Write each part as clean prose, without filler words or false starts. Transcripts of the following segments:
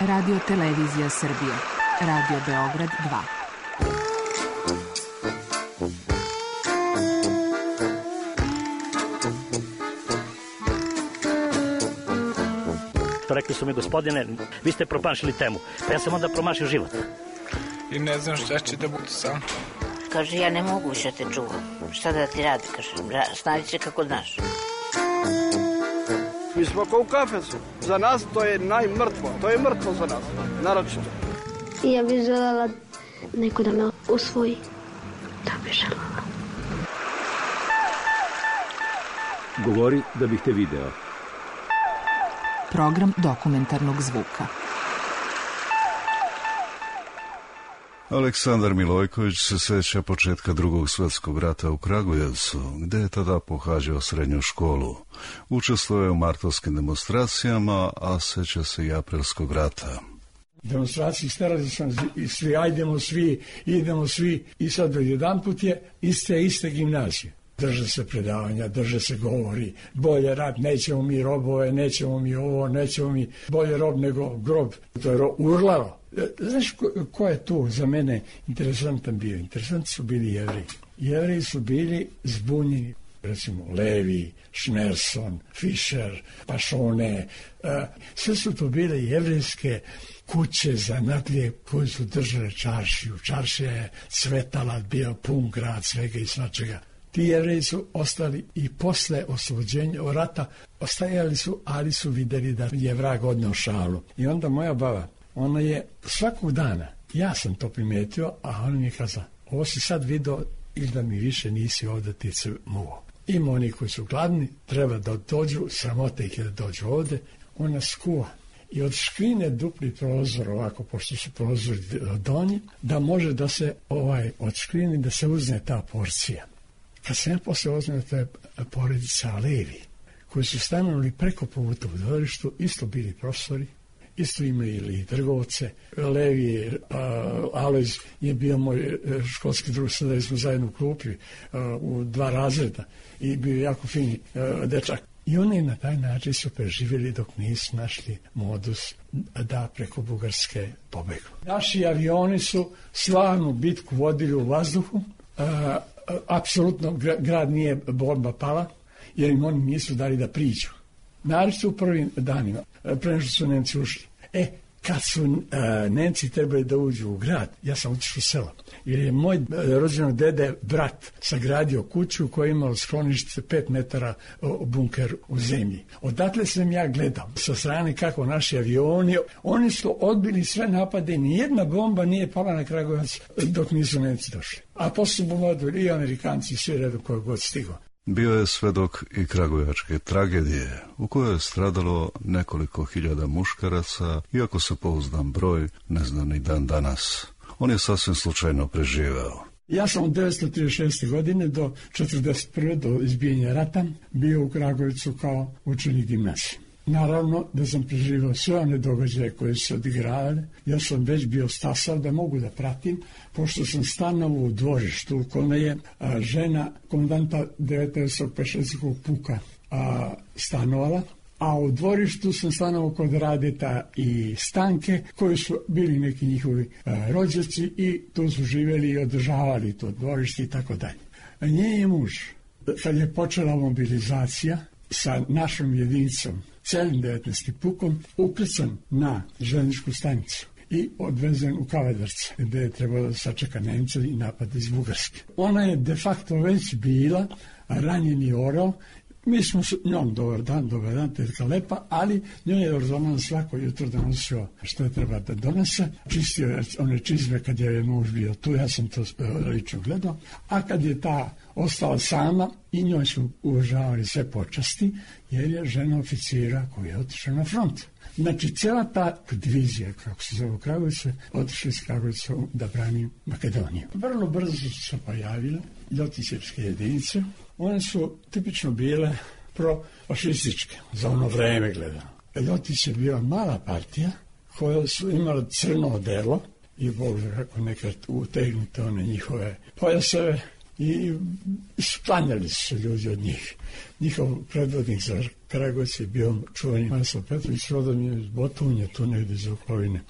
Radio Televizija Srbije. Radio Beograd 2. Rekli su mi, gospodine, vi ste promašili temu, pa ja sam onda promašio život. I ne znam šta će da bude sam. Kaže, ja ne mogu više te čuvam. Šta da ti radi, kaže, snađi se kako znaš. Mi smo kao u kafesu. Za nas to je najmrtvo. To je mrtvo za nas, naročito. Ja bih željela neko da me usvoji. Da bih željela. Govori da bih te video. Program dokumentarnog zvuka. Aleksandar Milojković se sjeća početka Drugog svjetskog rata u Kragujevcu, gdje je tada pohađao srednju školu. Učestvovao je u martovskim demonstracijama, a sjeća se i aprilskog rata. Demonstraciji sterali sam svi, idemo svi i sad jedanput je iste gimnazije. Drže se predavanja, drže se govori, bolje rat, nećemo mi robove, nećemo mi ovo, nećemo mi bolje rob nego grob. To je urlaro. Znaš ko je tu za mene interesantan bio? Interesanti su bili Jevreji. Jevreji su bili zbunjeni. Recimo Levi, Šnerson, Fischer, Pašone. Sve su to bile jevrejske kuće zanatlije koje su držale čaršiju. Čaršija je cvetala, bio pun grad svega i svačega. Ti Jevreji su ostali i posle oslobođenja od rata, ostajali su, ali su vidjeli da je vrag odneo šalu. I onda moja baba, ona je svakog dana, ja sam to primijetio, a ona mi je kazala, ovo si sad vidio ili da mi više nisi ovdje ti se muo. Ima oni koji su gladni, treba da dođu, sramote ih je da dođu ovdje, ona skuva. I od škrine dupli prozor, ovako, pošto su prozori donji, da može da se od škrine da se uzne ta porcija. Kad se ja posle oznao, to je porodica Levi, koji su stanovali preko puta u dvorištu, isto bili profesori, isto imali i trgovce. Levi, Alojz je bio moj školski drug, sada smo zajedno u klupi u 2 razreda i bio jako fini dečak. I oni na taj način su preživjeli dok nisu našli modus da preko Bugarske pobegnu. Naši avioni su slavnu bitku vodili u vazduhu. Apsolutno grad nije bomba pala, jer im oni nisu dali da priđu. Naročito u prvim danima, pre nego što su Nemci ušli. Kad su Nemci trebali da uđu u grad, ja sam otišao u selo, jer je moj rođenog dede brat sagradio kuću koja je imala sklonište 5 metara bunker u zemlji. Odatle sam ja gledao sa strane kako naši avioni, oni su odbili sve napade, nijedna bomba nije pala na Kragujevac dok nisu Nemci došli. A posle su bombardovali i Amerikanci i svi redu koji god stigao. Bio je svedok i kragujevačke tragedije, u kojoj je stradalo nekoliko hiljada muškaraca, iako se pouzdan broj ne zna ni dan danas. On je sasvim slučajno preživeo. Ja sam od 1936. godine do 1941. do izbijanja rata bio u Kragujevcu kao učenik gimnazije. Naravno da sam preživao sve one događaje koje su se odigravale. Ja sam već bio stasao da mogu da pratim, pošto sam stanovao u dvorištu u kome je žena komandanta 19. pešadijskog puka stanovala, a u dvorištu sam stanovao kod Radeta i Stanke, koji su bili neki njihovi rođaci i tu su živjeli i održavali to dvorište i tako dalje. Njen je muž, kad je počela mobilizacija sa našom jedinicom, celim 19. pukom, ukrcan na željezničku stanicu i odvezen u Kavadarce, gdje je trebalo da sačeka Nemca i napad iz Bugarske. Ona je de facto već bila ranjeni orao. Mi smo s njom dobar dan, tetka lepa, ali njoj je ordonan svako jutro da nosio što je treba da donese. Čistio je one čizme kad je muž bio tu, ja sam to lično gledao. A kad je ta ostala sama, i njoj su uvažavali sve počasti, jer je žena oficira koja je otišla na front. Znači, cijela ta divizija, kako se zove u Kragujevcu, otišla iz Kragujevca da brani Makedoniju. Vrlo brzo su se pojavile ljotićevske jedinice. One su tipično bile profašističke, za ono vreme gledano. Ljotić je bila mala partija koja su imala crno odelo i Bog kako nekad utegnute one njihove pojaseve i sklanjali su ljudi od njih. Njihov predvodnik za Kragujevac je bio čuveni Maso Petrović, rodom je iz Botunje, tu negdje iz okoline.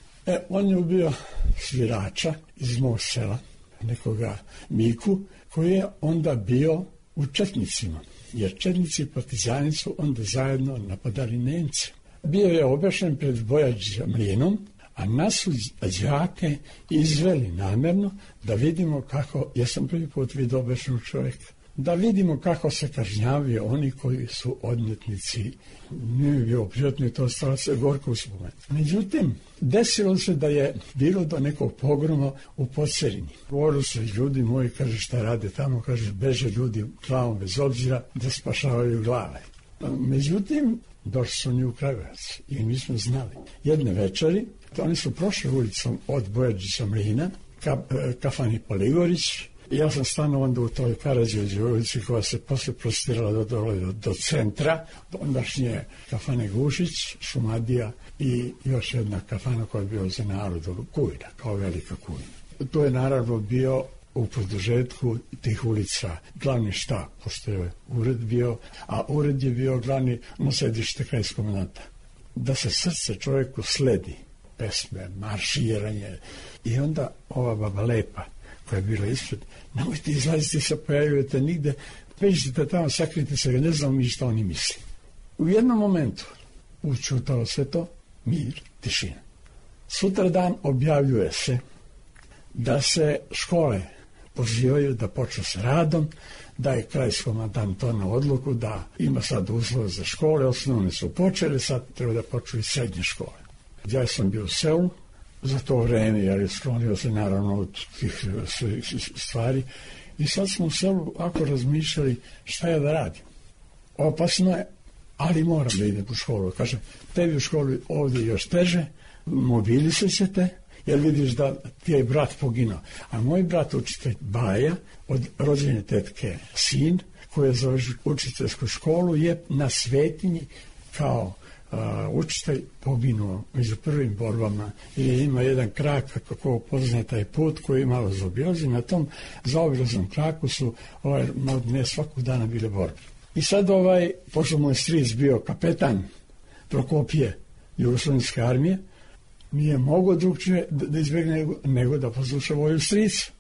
On je ubio svirača iz mog sela, nekoga Miku, koji je onda bio u četnicima, jer četnici i partizani su onda zajedno napadali Nemce. Bio je obešen pred Bojađa mlinom, a nas su đake izveli namjerno da vidimo kako, ja sam prvi put vidio obešenog čovjeka, da vidimo kako se kažnjavaju oni koji su odmetnici. Nije bio prijatno i to ostalo se gorko uspomen. Međutim, desilo se da je bilo do nekog pogroma u Podserini. Govorili se ljudi moji, kaže, šta rade tamo, kaže, beže ljudi glavom bez obzira da spašavaju glave. Međutim, došli su oni u Kragujevac i mi smo znali. Jedne večeri, oni su prošli ulicom od Bojađića mlina, kafani Poligorić. Ja sam stano onda u toj Karađorđevoj ulici koja se posle prostirala do centra, ondašnje kafane Gušić, Šumadija i još jedna kafana koja je bio za narodu, Kujna, kao velika Kujna. To je naravno bio u produžetku tih ulica glavni štab, pošto je ured bio, a ured je bio glavni sedište krajskog komandanta. Da se srce čovjeku sledi, pesme, marširanje, i onda ova baba Lepa, koja je bila ispred, nemojte izlaziti, se pojavljujete nigde, peđite tamo, sakrite se, ne znam mi šta oni misli. U jednom momentu učutalo se to, mir, tišina. Sutradan objavljuje se da se škole pozivaju da počnu s radom, da je krajski komandant doneo odluku da ima sad uslove za škole, osnovne su počele, sad treba da počnu i srednje škole. Ja sam bio u selu za to vreme, jer je sklonio se naravno od tih stvari, i sad smo u selu ako razmišljali šta ja da radim. Opasno je, ali moram da idem u školu. Kažem, tebi u školu ovdje još teže, mobilisat ćete, jer vidiš da ti je brat poginuo. A moj brat, učitelj Baja, od rođene tetke sin, koji je za učiteljsku školu, je na Svetinji kao učitelj poginuo među prvim borbama, i ima jedan krak, kako poznaje taj put, koji je malo zaobilazi. Na tom zaobilaznom kraku su ne svakog dana bile borbe. I sad pošto moj stric bio kapetan Prokopije Jugoslovenske armije, nije mogao drugčije da izbjegne nego da posluša voju strica.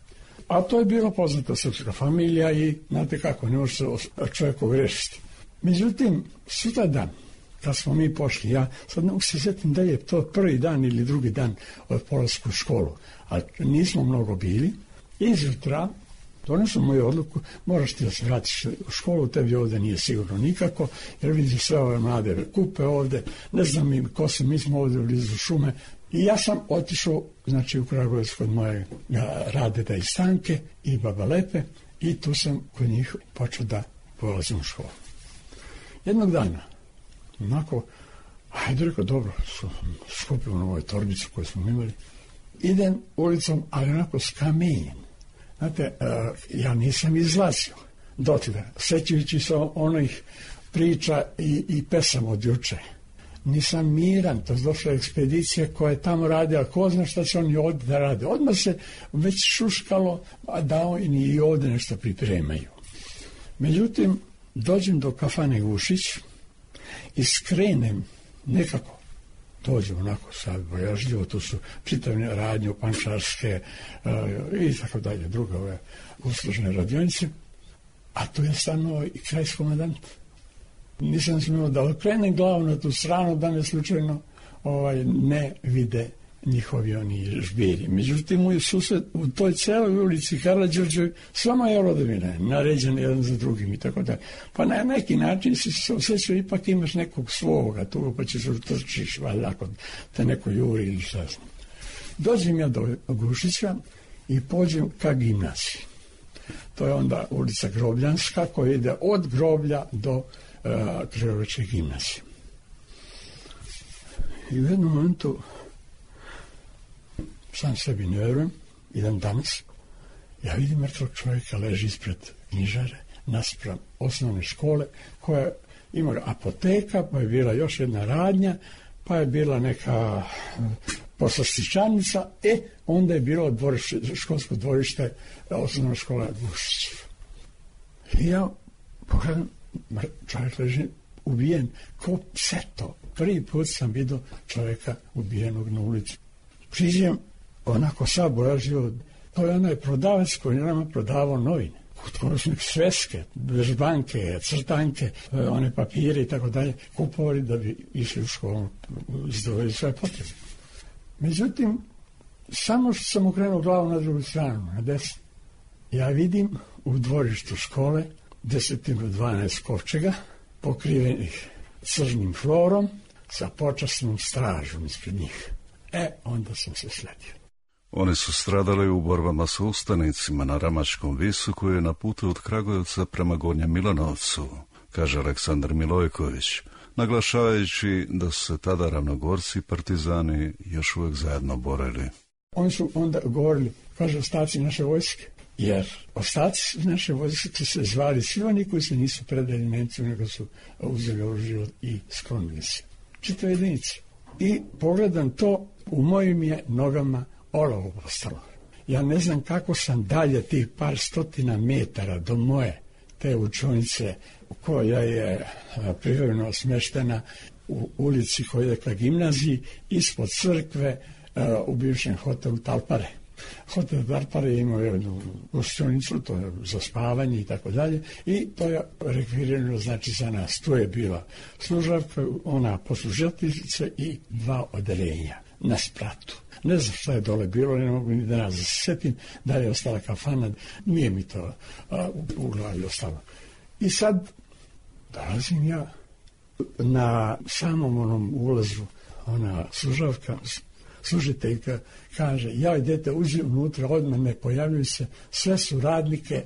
A to je bila poznata srpska familija i znate kako, ne može se čovjek ogrešiti. Međutim, sutra dan, kad smo mi pošli, ja sad ne mogu se sjetim da je to prvi dan ili drugi dan od polaska u školu, a nismo mnogo bili, izjutra donesem moju odluku, moraš ti da se vratiš u školu, tebi ovdje nije sigurno nikako, jer vidiš sve ove mlade kupe ovdje, ne znam im ko se, mi smo ovdje blizu šume. I ja sam otišao, znači, u Kragujevac kod moje Radeta i Stanke i baba Lepe, i tu sam kod njih počeo da polazim u školu. Jednog dana, onako, ajde rekao, dobro, skupio na ovoj torbicu koju smo imali, idem ulicom, ali onako s kamenjem. Znate, ja nisam izlazio dotle, sećajući se onih priča i pesama od juče. Nisam miran, to je došla ekspedicija koja je tamo radila, ko zna šta će oni ovdje da rade. Odmah se već šuškalo da oni i ovdje nešto pripremaju. Međutim, dođem do kafane Gušić i skrenem nekako, dođem onako sad bojažljivo, tu su čitavne radnje, pančarske i tako dalje, druge ove uslužne radionice, a tu je stanovao i krajski komandant. Nisam smio da okrenem glavu na tu stranu da me slučajno ne vide njihovi oni žbiri. Međutim, u toj celoj ulici Karađorđevoj svama je rodovina naređena jedan za drugim i tako da. Pa na neki način se osjećao, ipak imaš nekog svoga tu, pa ćeš utrčiš, valjda, ako te neko juri ili šta znam. Dođem ja do Gušića i pođem ka gimnaziji. To je onda ulica Grobljanska koja ide od groblja do Kragujevačke gimnazije. I u jednom momentu sam sebi ne verujem, idem danas, ja vidim mrtvog čovjeka leži ispred knjižare naspram osnovne škole koja ima apoteka, pa je bila još jedna radnja, pa je bila neka poslastičanica, onda je bilo školsko dvorište osnovna škola Gušić. I ja pogledam, čovjek leži ubijen, ko pse to. Prvi put sam vidio čovjeka ubijenog na ulici. Priđem, onako sabojažio, to je onaj prodavac koji nama prodavao novine. Kod sveske, vežbanke, crtanke, one papire i tako dalje, kupovali da bi išli u školu, izdvojili svoje potrebe. Međutim, samo što sam okrenuo glavu na drugu stranu, na desnu, ja vidim u dvorištu škole 10-12 kovčega, pokrivenih crnim florom, sa počasnom stražom ispred njih. Onda sam se sledio. Oni su stradali u borbama sa ustanicima na Ramačkom visu koji je na putu od Kragujevca prema Gornjem Milanovcu, kaže Aleksandar Milojković, naglašavajući da su se tada ravnogorci i partizani još uvijek zajedno borili. Oni su onda govorili, kaže, ostaci naše vojske, jer ostaci naše vojske se zvali svi oni koji se nisu predali Nemcu, nego su uzeli oružje i sklonili se. Čitave jedinice. I pogledam to, u mojim je nogama olovo postalo. Ja ne znam kako sam dalje tih par stotina metara do moje te učionice koja je privremeno smještena u ulici koja je ka gimnaziji ispod crkve u bivšem hotelu Talpare. Hotel Talpare je imao jednu gostionicu, to je za spavanje i tako dalje, i to je rekvirirano znači za nas. Tu je bila služavka, ona poslužateljica i 2 odeljenja na spratu. Ne znam šta je dole bilo, ne mogu ni danas da se setim, da je ostala kafana, nije mi to u glavi ostalo. I sad dolazim ja na samom onom ulazu, ona služavka, služiteljka kaže, ja idete uđi unutra, odmah ne pojavljuju se, sve su radnike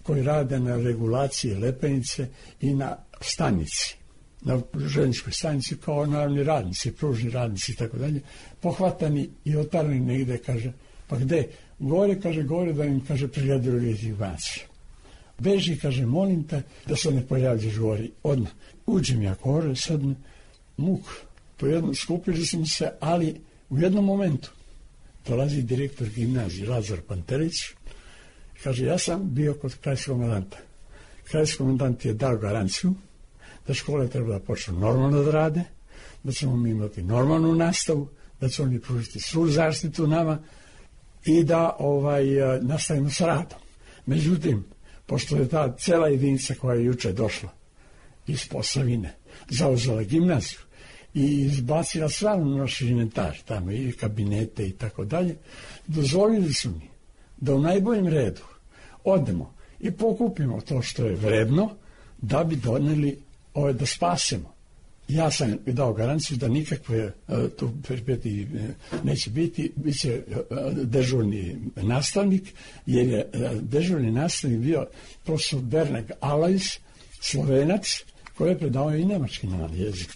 koji rade na regulaciji Lepenice i na stanici, na željezničkoj stanici, kao naravni radnici, pružni radnici i tako dalje, pohvatani i otarani negde, kaže, pa gde? Gore, kaže, gore da im, kaže, prijadili informacije. Beži, kaže, molim te da se ne pojavljaš gori, odmah. Uđem ja gore, sad muk, skupili smo se, ali u jednom momentu dolazi direktor gimnazije Lazar Pantelić, kaže, ja sam bio kod krajskog komandanta. Krajski komandant je dao garanciju da škole treba da počnu normalno da rade, da ćemo mi imati normalnu nastavu, da će oni pružiti svu zaštitu nama i da nastavimo sa radom. Međutim, pošto je ta cela jedinica koja je juče došla iz Posavine, zauzela gimnaziju i izbacila sva naš inventar, tamo i kabinete i tako dalje, dozvolili su mi da u najboljem redu odemo i pokupimo to što je vredno da bi doneli da spasemo. Ja sam dao garanciju da nikakve tu peripetije neće biti, bit će dežurni nastavnik, jer je dežurni nastavnik bio profesor Bernard Alajs, Slovenac, koji je predavao i nemački jezik,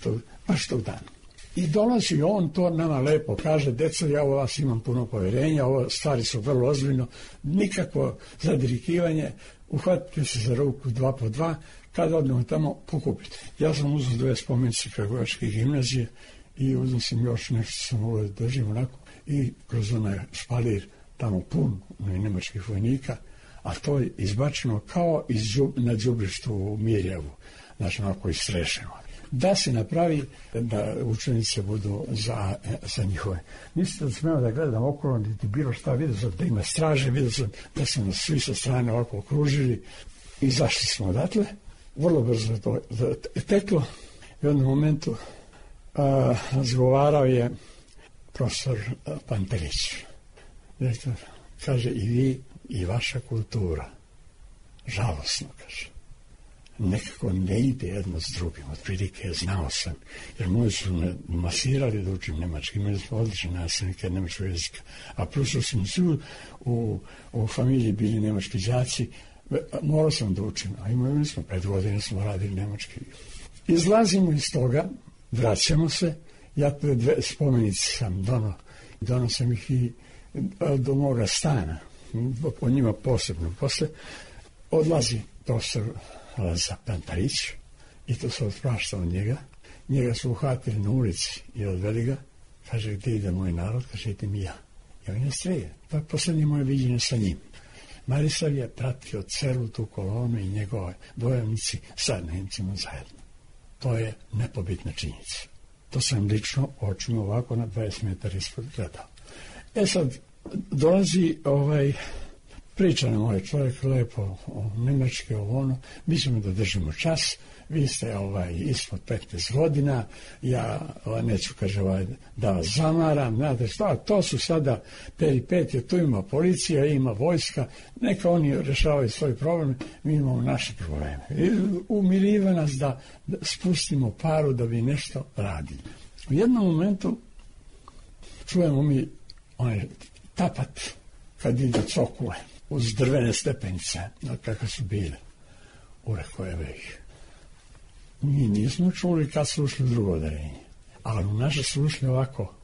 baš tog dana. I dolazi on, to nama lepo kaže, deco, ja u vas imam puno povjerenja, ovo stvari su vrlo ozbiljno, nikakvo zadirikivanje, uhvatite se za ruku 2 po 2, kada odnemo tamo, pokupite. Ja sam uzeo 2 spomenice Kragujevačke gimnazije i uzeo sam još nešto sam ovo držim onako i kroz onaj špalir tamo pun nemačkih vojnika, a to je izbačeno kao na đubrištu u Mirjevu, znači onako istrešeno. Da se napravi da učenice budu za njihove. Nisam da smeo da gledam okolo, niti bilo šta, vidio sam da ima straže, vidio sam da su nas svi sa strane ovako okružili i izašli smo odatle. Vrlo brzo to teklo. U jednom momentu razgovarao je profesor Pantelić. Direktor kaže, i vi i vaša kultura, žalosno, kaže, nekako ne ide jedno s drugim. Otprilike znao sam, jer moji su me masirali da učim nemački, imali smo odlične nastavnike nemačkog jezika, a plus smo svi u familiji bili nemački đaci, morao sam da učim, a imali smo 5 godina smo radili nemački. Izlazimo iz toga, vraćamo se, ja te 2 spomenice sam donao sam ih i do moga stana, o njima posebno. Posle odlazi profesor Lazar Pantelić i to se otpraštao njega su uhvatili na ulici i odveli ga, kaže, gdje ide moj narod, kaže, idem i ja. I on je streje, to je posljednje moje viđenje sa njim. Marisav je pratio celu tu kolonu i njegove bojovnici sa Nemcima zajedno. To je nepobitna činjenica. To sam lično očima ovako na 20 metara ispod gledao. Sad, dolazi priča nam ovaj čovjek lepo o nemački, ono, mi ćemo da držimo čas, vi ste ispod 15 godina, ja neću, kaže, da vas zamaram, znate šta, to su sada peripetije, tu ima policija, ima vojska, neka oni rešavaju svoj problem, mi imamo naše probleme. I umiriva nas da spustimo paru da bi nešto radili. U jednom momentu čujemo mi onaj tapat kad ide cokule uz drvene stepenice, kakve su bile. Ureko je ih. Mi nismo čuli kad su ušli u drugo odeljenje, ali u naše su ušli ovako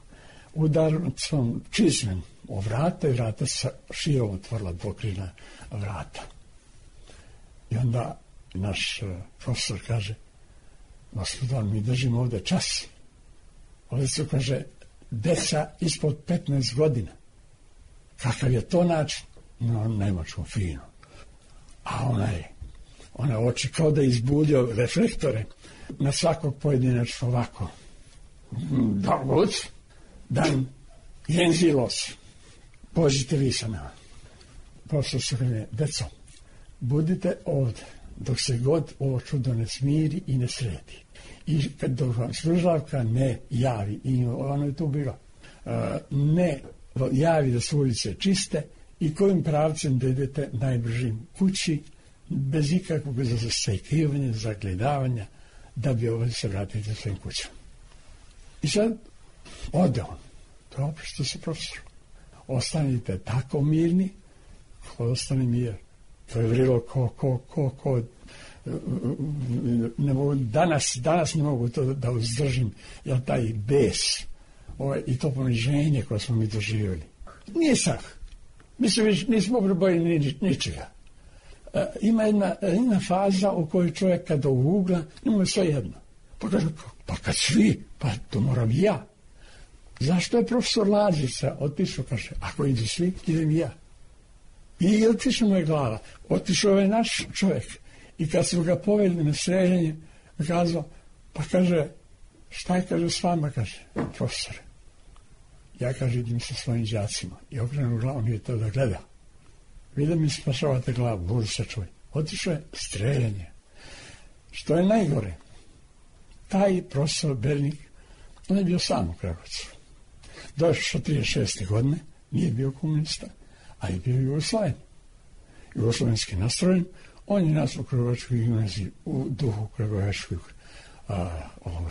udarcom čizmem o vrata i vrata sa širom otvorila dvokrilna vrata. I onda naš profesor kaže, gospodar, mi držimo ovde čas. Ovdje su, kaže, deca ispod 15 godina. Kakav je to način? No, nemačkom fino. A ona oči kao da izbulio reflektore na svakog pojedinačno ovako. Da, god, dan, jenzilos, pođite vi sa nama. Profesor se kaže, deco, budite ovdje, dok se god ovo čudo ne smiri i ne sredi. I kad vam služavka ne javi, i ono je tu bilo, ne javi da su ulice čiste i kojim pravcem da idete najbržim kući, bez ikakvog zastajkivanja, zagledavanja, da bi ovdje se vratiti svojim kućama. I sad ode on. To je oprosto se profesor. Ostanite tako mirni, ko ostane mir. To je vrilo ko ne mogu, danas ne mogu to da uzdržim, jer taj bes i to poniženje koje smo mi doživjeli. Nisam. Mi se nismo probojili ničega. Ima jedna faza u kojoj čovjek kada ugugla, nema sve jedno. Pa kaže, pa kad svi, pa to moram i ja. Zašto je profesor Lazica otišao, kaže, ako idu svi, idem i ja. I otišao mu je glava. Otišao je naš čovjek. I kad su ga poveli na streljanje, kazao, pa kaže, šta je, kaže, s vama, kaže, profesore. Ja, kaže, idem sa svojim đacima. I okrenu glavu, nije to da gleda. Vi da mi spašavate glavu, budu se čuj. Otišao je streljanje. Što je najgore? Taj profesor Bernik, on je bio sam u Kragovcu. Došao 36. godine, nije bio komunista, a je bio Jugoslaven. Jugoslovenski nastrojen, on je nas u Kragovačkoj gimnaziji u duhu Kragovačkog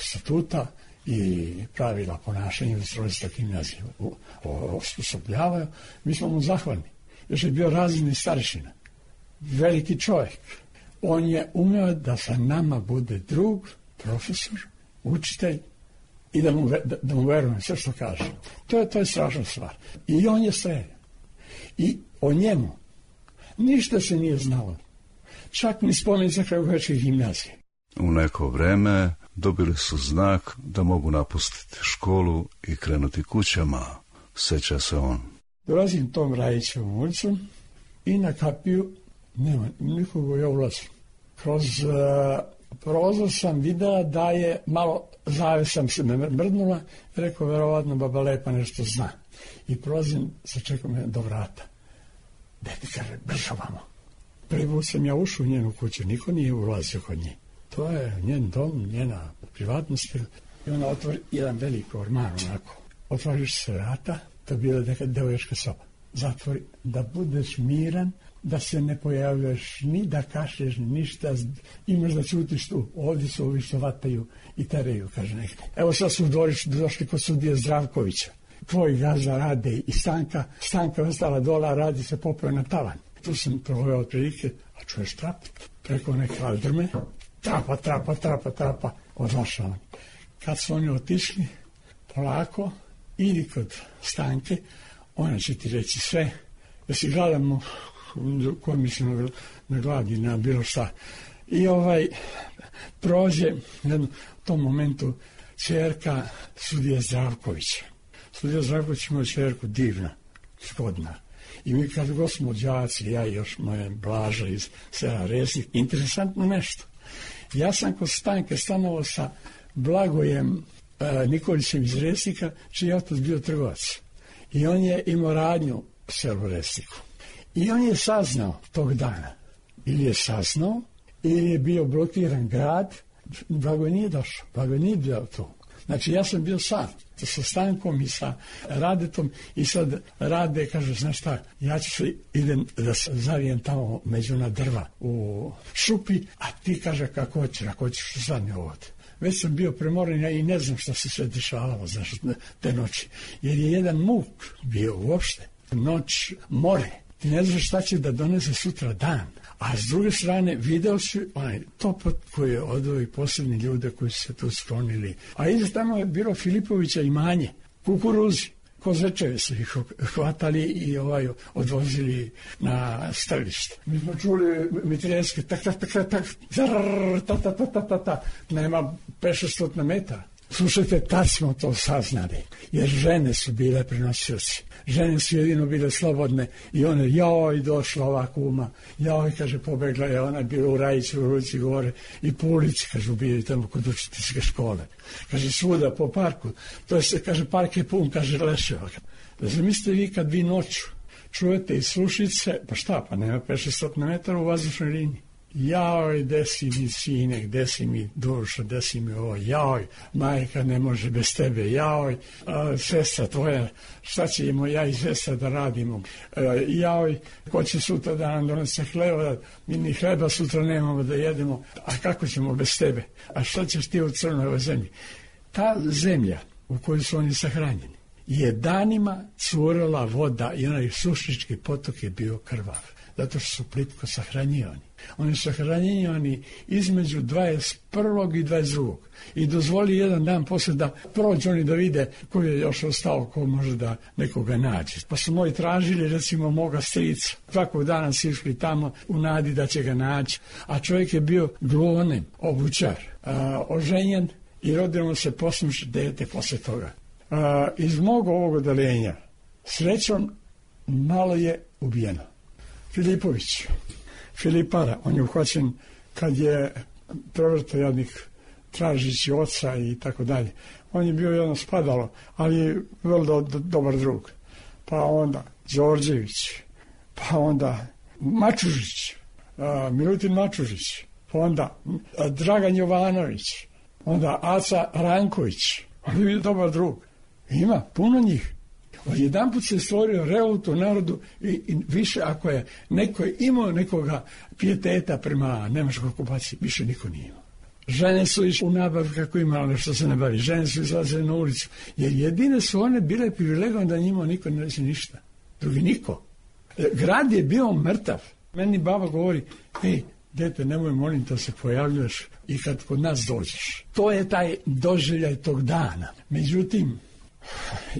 statuta i pravila ponašanja ustrojstva gimnazije osposobljavaju. Mi smo mu zahvalni. Još je bio razredni starešina. Veliki čovjek. On je umeo da sa nama bude drug, profesor, učitelj i da mu verujem sve što kaže. To je strašna stvar. I on je streljan. I o njemu ništa se nije znalo. Čak ni spomenica Kragujevačke gimnazije. U neko vreme dobili su znak da mogu napustiti školu i krenuti kućama, seća se on. Dolazim tom Rajićevom ulicom i na kapiju nema nikoga, ja ulazim. Kroz prozor sam vidio da je malo zavesam se me mrdnula, rekao, verovatno baba Lepa nešto zna. I prolazim, sačekam do vrata. Dete kaže, brzo vamo. Prvi put sam ja ušao u njenu kuću, niko nije ulazio kod nje. To je njen dom, njena privatnost. I ona otvori jedan veliko orman, onako. Otvoriš se vrata, to je bila neka devoječka soba. Zatvori, da budeš miran, da se ne pojavljaš, ni da kašlješ, ni ništa, imaš da ćutiš tu. Ovdje su ovi što vataju i teraju, kaže nekde. Evo sad su došli kod sudije Zdravkovića. Tvoj gazda rade i Stanka je ostala dola, radi se popeo na tavan. Tu sam proveo otprilike, a čuješ trap, preko neke aldrme, trapa, odlašao on. Kad su oni otišli, polako, idi kod Stanke, ona će ti reći sve, da si gledamo ko mislim na gladi, na bilo šta. I prođe u tom momentu ćerka sudije Zdravkovića. Sudija Zdravković ima ćerku divna, spodna. I mi kad god smo đaci, ja i još moja Blaža iz sela Resnik, interesantno nešto. Ja sam kod Stanke stanovao sa Blagojem Nikolićem iz Resnika, čiji je otac bio trgovac. I on je imao radnju u selu Resniku. I on je saznao tog dana, ili je saznao, ili je bio blokiran grad, Blagoj nije došao, Blagoj nije bio tu. Znači ja sam bio sam, sa Stankom i sa Radetom i sad Rade kaže, znaš šta, ja ću se idem da se zavijem tamo među na drva u šupi, a ti kaže kako hoćeš sad mi ovdje. Već sam bio premoren i ne znam šta se sve dešavalo, znaš, te noći. Jer je jedan muk bio uopšte, noć, more. Ti ne znaš šta će da donese sutra dan. A s druge strane video si onaj topot koji je odveo i posljednji ljude koji su se tu sklonili. A iza tamo je bilo Filipovića imanje, kukuruzi. Kozečeve su ih hvatali i odvozili na strelište. Mi smo čuli mitraljske tak, nema 500 metara. Slušajte, tad smo to saznali, jer žene su bile prenosioci. Žene su jedino bile slobodne i one, joj, došla ova kuma, joj, kaže, pobegla je, ona je bila u Rajiću, u Ruci gore i po ulici, kaže, bili tamo kod učiteljske škole. Kaže, svuda po parku, to je se, kaže, park je pun, kaže, leševa. Zamislite vi kad vi noću čujete i slušice, pa šta, pa nema 500 metara u vazdušnoj liniji. Joj, desi mi sinek, desi mi duša, desi mi ovo, joj, majka ne može bez tebe, joj, sestra tvoja, šta ćemo ja i sestra da radimo, joj, ko će sutra da nam donese hleba, mi ni hleba sutra nemamo da jedemo, a kako ćemo bez tebe, a šta ćeš ti u crnoj zemlji? Ta zemlja u kojoj su oni sahranjeni je danima curila voda i onaj Sušnički potok je bio krvav, zato što su plitko sahranjivani. Oni su sahranjivani između 21. i 22. I dozvoli jedan dan poslije da prođu oni da vide ko je još ostao, ko može da nekoga nađe. Pa su moji tražili, recimo, moga strica. Svakog dana su išli tamo u nadi da će ga naći. A čovjek je bio gluvonem, obućar, oženjen i rodilo se posluš dete poslije toga. Iz mog ovog odeljenja, srećom, malo je ubijeno. Filipović, Filipara, on je uhvaćen kad je prevrto jadnik tražići oca i tako dalje. On je bio jedno spadalo, ali je vrlo dobar drug. Pa onda Đorđević, pa onda Mačužić, Milutin Mačužić, pa onda Dragan Jovanović, onda Aca Ranković, on je bio dobar drug. Ima puno njih. Jedan put se stvorio revolt u narodu i više ako je neko imao nekoga pijeteta prema nemačkoj okupaciji, više niko nije imao. Žene su išle u nabav kako imalo nešto se ne bavi. Žene su izlazile na ulicu. Jer jedine su one bile privilegovane da njima niko ne reći ništa. Drugi niko. Grad je bio mrtav. Meni baba govori, hej, dete, nemoj molim da se pojavljuješ i kad kod nas dođeš. To je taj doživljaj tog dana. Međutim,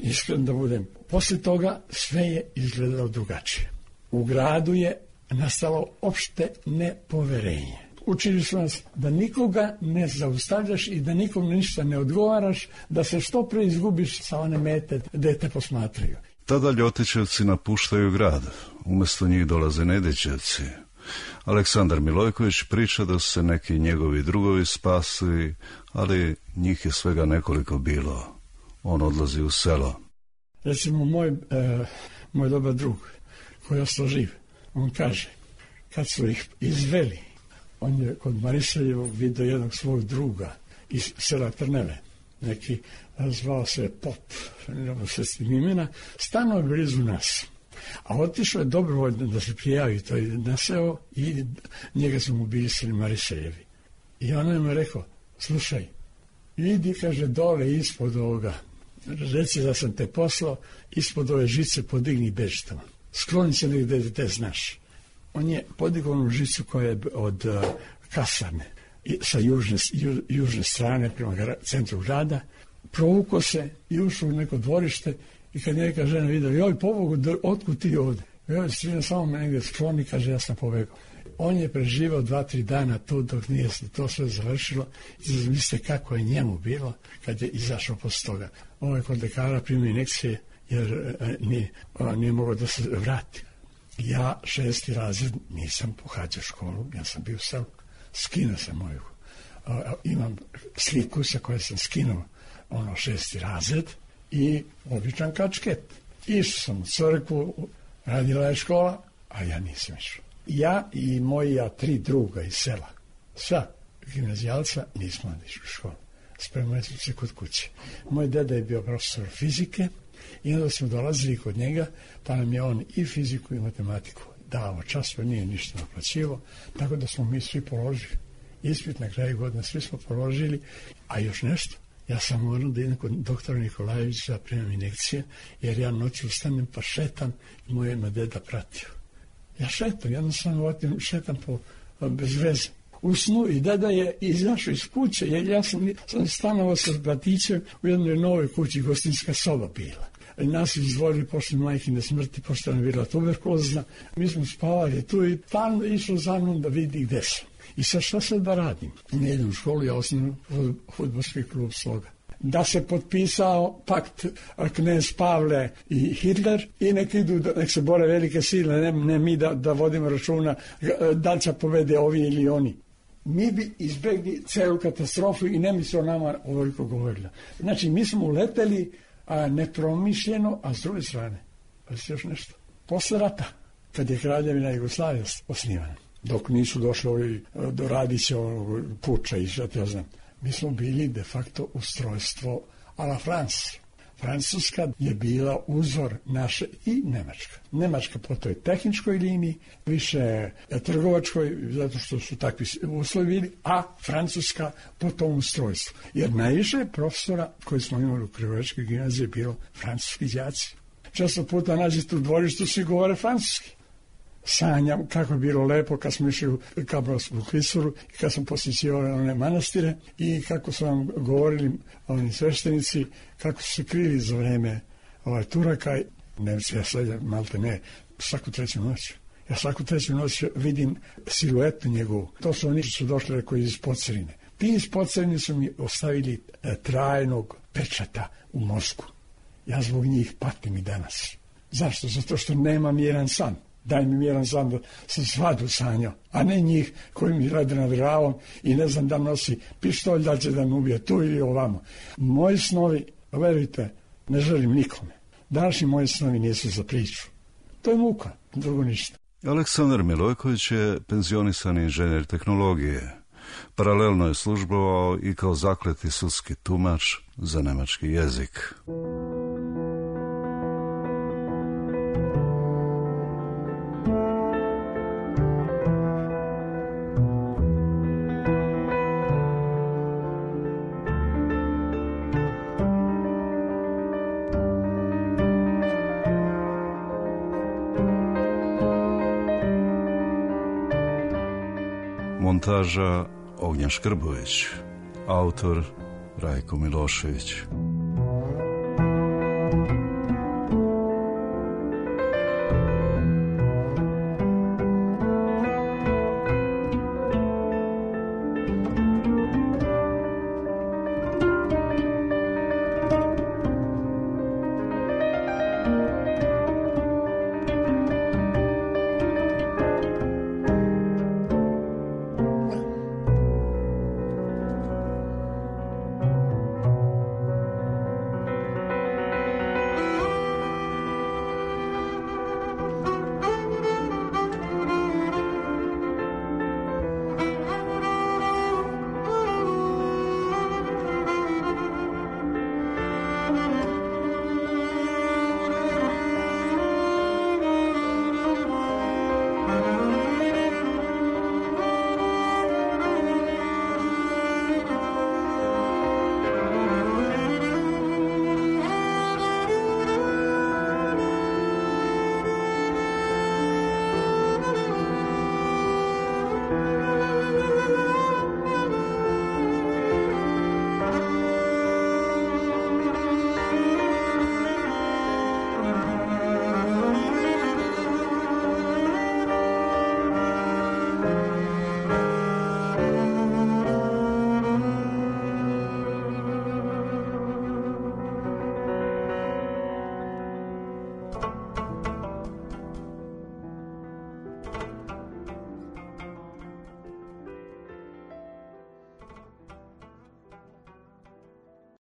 iskren da budem, poslije toga sve je izgledalo drugačije. U gradu je nastalo opšte nepoverenje. Učili su nas da nikoga ne zaustavljaš i da nikom ništa ne odgovaraš, da se što pre izgubiš sa one mete gde te posmatraju. Tada Ljotićevci napuštaju grad, umjesto njih dolaze Nedićevci. Aleksandar Milojković priča da su se neki njegovi drugovi spasili, ali njih je svega nekoliko bilo. On odlazi u selo. Recimo, moj dobar drug, koji je ostao živ, on kaže, kad su ih izveli, on je kod Mariseljevog vidio jednog svog druga iz sela Trneve, neki zvao se Pop, ne se s tim imena, stano je blizu nas. A otišao je dobrovoljno da se prijavi to na seo i njega su mu bili seli Mariseljevi. I on je mu rekao, slušaj, idi, kaže, dole ispod ovoga, reci da sam te poslao, ispod ove žice podigni bežitama. Skloni se negdje da te znaš. On je podigao onu žicu koja je od kasarne sa južne strane prema centru grada, provukao se i ušao u neko dvorište i kad neka žena vidio, joj, pobogu, otkud ti ovdje? Joj, strina, samo me negdje skloni, kaže, ja sam pobegao. On je preživao 2-3 dana tu dok nije se to sve završilo i zamislite kako je njemu bilo kad je izašao posle toga. On je kod lekara primio injekcije jer nije mogao da se vrati. Ja 6. razred nisam pohađao školu, ja sam bio sam, skinuo sam moju. Imam sliku sa koje sam skinuo 6. razred i običan kačket. Išao sam u crkvu, radila je škola, a ja nisam išao. Ja i moja 3 druga iz sela, sva gimnazijalca, nismo onda išli u školu. Spremali smo se kod kuće. Moj deda je bio profesor fizike i onda smo dolazili kod njega, pa nam je on i fiziku i matematiku dao čas, nije ništa naplaćivo, tako da smo mi svi položili ispit na kraju godine, svi smo položili, a još nešto. Ja sam morao da idem kod doktora Nikolajevića da primam injekcije, jer ja noću ustanem pa šetam i moje me deda pratio. Ja šetam, jednostavno šetam bez veze. U snu i deda je izašao iz kuće, jer ja sam stanovao sa bratićem u jednoj novoj kući, gostinska soba bila. Nas izdvojili posle majkine smrti, pošto nam je bila tuberkulozna. Mi smo spavali tu i tamo išao za mnom da vidi gde sam. I sad šta sad da radim? Ne idem u školu, ja osnovim fudbalski klub Sloga. Da se potpisao pakt knez Pavle i Hitler i nek se bore velike sile, ne mi da vodimo računa da li će povede ovi ili oni. Mi bi izbjegli celu katastrofu i ne mi se o nama ovoliko govorila. Znači, mi smo uleteli nepromišljeno, a s druge strane, pa se još nešto. Posle rata, kad je Kraljevina Jugoslavija osnivana, dok nisu došli ovi do Radićevog puča i što ja znam, mi smo bili de facto ustrojstvo a la France. Francuska je bila uzor naše i Nemačka. Nemačka po toj tehničkoj liniji, više trgovačkoj, zato što su takvi uslovi bili, a Francuska po tom ustrojstvu. Jer najviše profesora koji smo imali u Krivovačkoj gimnaziji je bilo francuski đaci. Često puta nađete u dvorištu, svi govore francuski. Sanjam kako je bilo lepo kad smo išli u Kabrovsku klisuru i kad smo posjećivali one manastire i kako su vam govorili oni sveštenici, kako su se krili za vreme Turaka. Nemci, ja sad malte ne, svaku treću noć. Ja svaku treću noć vidim siluetu njegovu. To su oni su došli koji iz Podserine. Ti iz Podserine su mi ostavili trajnog pečata u mozgu. Ja zbog njih patim i danas. Zašto? Zato što nemam jedan san. Daj mi jedan san da sam svadu sanjao, a ne njih koji mi rade nad glavom i ne znam da nosi pištolj, da će da me ubije tu ili ovamo. Moji snovi, verujte, ne želim nikome. Današnji moji snovi nisu za priču. To je muka, drugo ništa. Aleksandar Milojković je penzionisani inženjer tehnologije. Paralelno je službovao i kao zakleti sudski tumač za nemački jezik. Montaža Ognjen Škrbović, autor Rajko Milošević.